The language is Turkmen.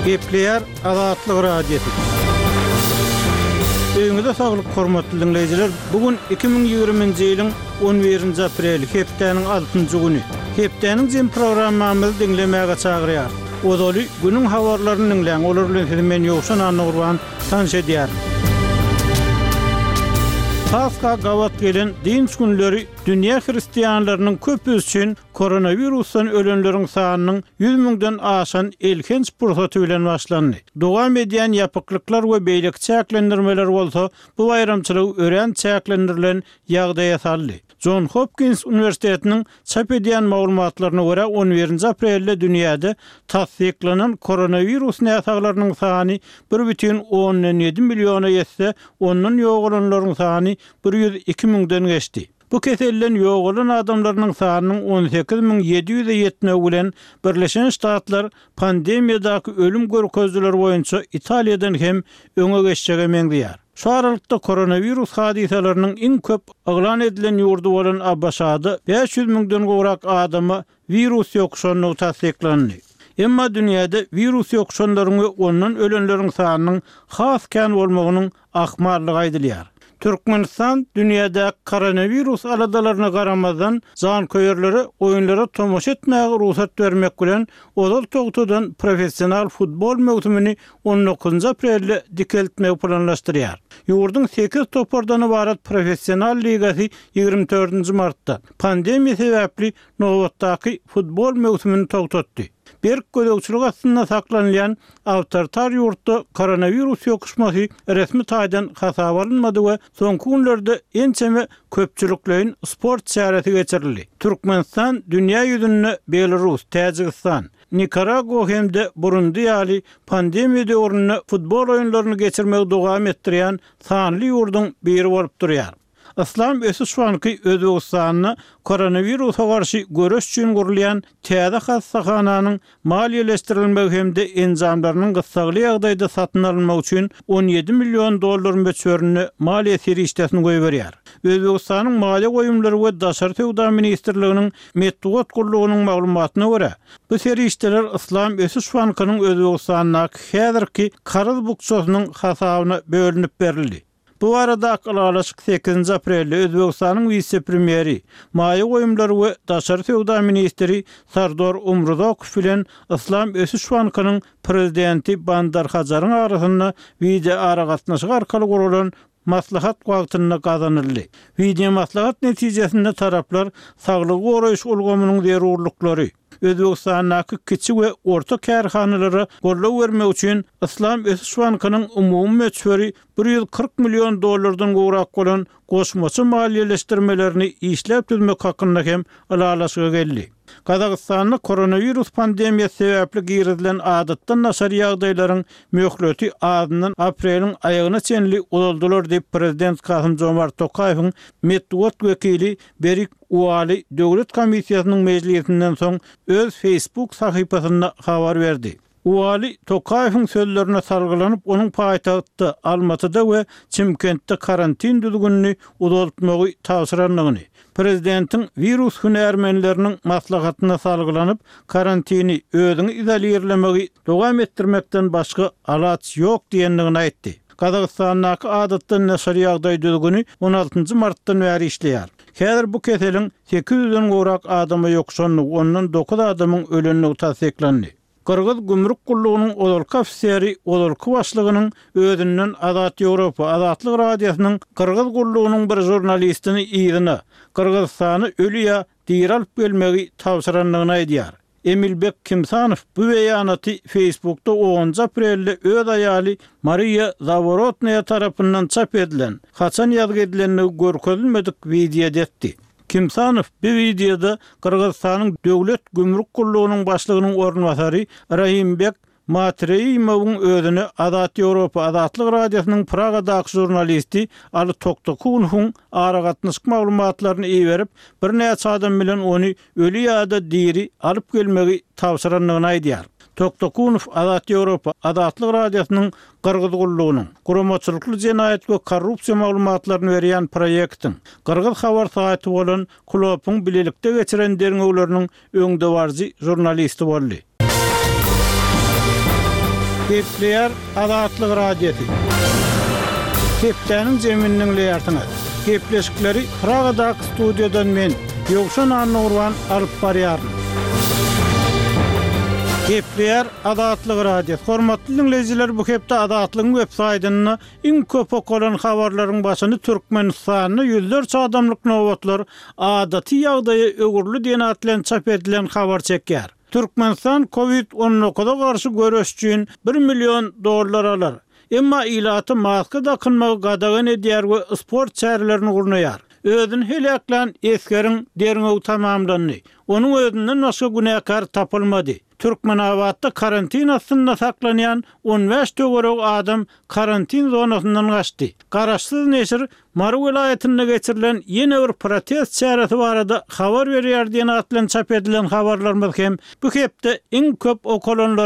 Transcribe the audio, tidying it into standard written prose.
Gepleýär Azatlyk Radiosy. Öýüňize saglyk hormatly diňleýjiler! Bu gün 2020-nji ýylyň 11-nji apreli, hepdäniň altynjy güni. Hepdäniň jem programmamyzy diňlemäge çagyrýarys. Ozaly günüň habarlaryny diňläň, olar bilen sizi men Ýowşan Annagurban tanyş edýärin. Pasha gabat gelen dynç günleri dünýä hristianlarynyň köpüsi üçin koronawirusdan ölenleriň sanynyň 100 müňden aşan elhenç pursaty bilen başlandy. Dowam edýän ýapyklyklar we beýleki çäklendirmeler bolsa bu baýramçylygy örän çäklendirilen ýagdaýa saldy. Jon Hopkins uniwersitetiniň çap edýän maglumatlaryna görä, on birinji aprelde dünýäde tassyklanan koronawirus näsaglarynyň sany bir bütin ondan ýedi milliona ýetse, ondan ýogalanlaryň sany 102 müňden geçdi. Bu keselden ýogalan adamlarynyň sanynyň 18 700-e ýetmegi bilen, Birleşen Ştatlar pandemiýadaky ölüm görkezijileri boýunça Italiýadan hem öňe geçjege meňzeýär. Şu aralykda koronawirus hadysalarynyň iň köp yglan edilen ýurdy bolan ABŞ-da 500 müňden gowrak adama wirus ýokuşandygy tassyklandy. Emma dünýäde wirus ýokuşanlaryň we ondan ölenleriň sanynyň has kän bolmagynyň ahmallygy aýdylýar. Türkmenistan dünýädäki koronawirus aladalaryna garamazdan, janköýerlere oýunlara tomaşa etmäge rugsat bermek bilen, ozal togtadan professional futbol möwsümini on dokuzynjy aprelde dikeltmegi planlaşdyrýar. Ýurduň sekiz topardan ybarat professional ligasy 24 dördünji martda, pandemiýa sebäpli nobatdaky futbol möwsümini togtatdy. Berk gözegçilik astynda saklanylýan awtoritar ýurtda koronawirus ýokuşmasy resmi taýdan hasaba alynmady we soňky günlerde ençeme köpçülikleýin sport çäresi geçirildi. Türkmenistan dünýä ýüzünde Belarus, Täjigistan, Nikaragua hem-de Burundi ýaly pandemiýa döwründe futbol oýunlaryny geçirmegi dowam etdirýän sanly ýurduň biri bolup durýar. Yslam ösüş banky Özbegistanda koronawirusa garşy göreş üçin gurulýan täze hassahananyň maliýeleşdirilmegi hem-de enjamlarynyň gyssagly ýagdaýda satyn alynmagy üçin 17 million dollar möçberinde maliýe serişdesini goýberýär. Özbegistanyň Maliýe goýumlary we daşary söwda ministrliginiň metbugat gullugynyň maglumatyna görä, bu serişdeler Yslam ösüş bankynyň Özbegistandaky häzirki karz bukjasynyň hasabyna bölünip berildi. Bu baradaky ylalaşyk sekizinji aprelde Özbegistanyň wise-premýeri, maýa goýumlary we daşary söwda ministri Sardor Umruzokow bilen Yslam ösüş bankynyň prezidenti Bandar Hajaryň arasynda wideoaragatnaşyk arkaly guralan maslahat wagtynda gazanyldy. Wideomaslahat netijesinde taraplar saglygy goraýyş ulgamynyň zerurlyklary, Özbegistandaky kiçi we orta kärhanalara goldaw bermek üçin Yslam ösüş bankynyň umumy möçberi 140 million dollardan gowrak bolan goşmaça maliýeleşdirmelerini işläp düzmek hakynda hem ylalaşyga geldi. Gazagystanda koronawirus pandemiýasy sebäpli girizilen adatdan daşary ýagdaýlaryň möhleti azyndan apreliň aýagyna çenli uzaldylar diýip, prezident Kasym-Jomart Tokaýewiň metbugat wekili Berik Ualy döwlet komissiýasynyň mejlisinden soň öz Facebook sahypasynda habar berdi. Ualy Tokaýewiň sözlerine salgylanyp, onuň paýtagtda, Almatyda we Çimkentde karantin düzgünini uzaltmagy tabşyrandygyny, prezidentiň wirus hünärmenleriniň maslahatyna salgylanyp, karantini, özüňi izolirlemegi dowam etdirmekden başga alaç ýok diýendigini aýtdy. Gazagystandaky adatdan daşary ýagdaý düzgüni on altynjy martdan bäri işleýär. Häzir bu keseliň 800-den gowrak adama ýokuşandygy, ondan dokuz adamyň ölendigi tassyklandy. Gyrgyz gümrük gullugynyň ozalky ofiseri ozalky başlygynyň özünden Azat Ýewropa, Azatlyk Radiosynyň Gyrgyz gullugynyň bir žurnalistini yzyna, Gyrgyzystana öli ýa diri alyp gelmegi tabşyrandygyny aýdýar. Emilbek Kimsanow bu beýanaty Facebookda onunjy aprelde öz aýaly Mariýa Zaworotnaýa tarapyndan çap edilen, haçan ýazgy edilendigi görkezilmedik wideoda etdi. Kimsanow bu wideoda Gyrgyzystanyň Döwlet gümrük gullugynyň başlygynyň orunbasary Rahimbek Matreýimowyň özüne Azat Ýewropa Azatlyk Radiosynyň Pragadaky žurnalisti Aly Toktakunowyň aragatnaşyk maglumatlaryny iberip, birnäçe adam bilen ony öli ýa-da diri alyp gelmegi tabşyrandygyny aýdýar. Toktakunow Azat Ýewropa Azatlyk Radiosynyň Gyrgyz gullugynyň, guramaçylykly jenaýat we korrupsiýa maglumatlaryny berýän proýektiň, gyrgyz habar saýty bolan Klopyň bilelikde geçiren derňewleriniň öňdebaryjy žurnalisti boldy. Gepleýär Azatlyk Radiosy. Hepdäniň jemini diňleýärsiňiz. Gepleşikleri Pragadaky studiýadan men, Ýowşan Annagurban alyp barýaryn. Gepleýär Azatlyk Radiosy. Hormatly diňleýjiler, bu hepde Azatlygyň web saýtynda iň köp okalan habarlaryň başyny Türkmenistanda ýüzlerçe adamlyk nobatlar adaty ýagdaýa öwrüldi diýen at bilen çap edilen habar çekýär. Türkmenistan Covid 19-a garşy göreş üçin bir million dollar alar. Emma ilata maska dakynmagy gadagan edýär we sport çärelerini gurnaýar. Özüni heläklän esgeriň derňewi tamamlandy. Onuň özünden başga günäkär tapylmady. Türkmenabatda karantin astynda saklanýan 15 töweregi adam karantin zonasyndan gaçdy. Garaşsyz neşir Mary welaýatynda geçirilen ýene bir protest çäresi barada habar berýär diýen at bilen çap edilen habarlarymyz hem bu hepde iň köp okalanlaryň.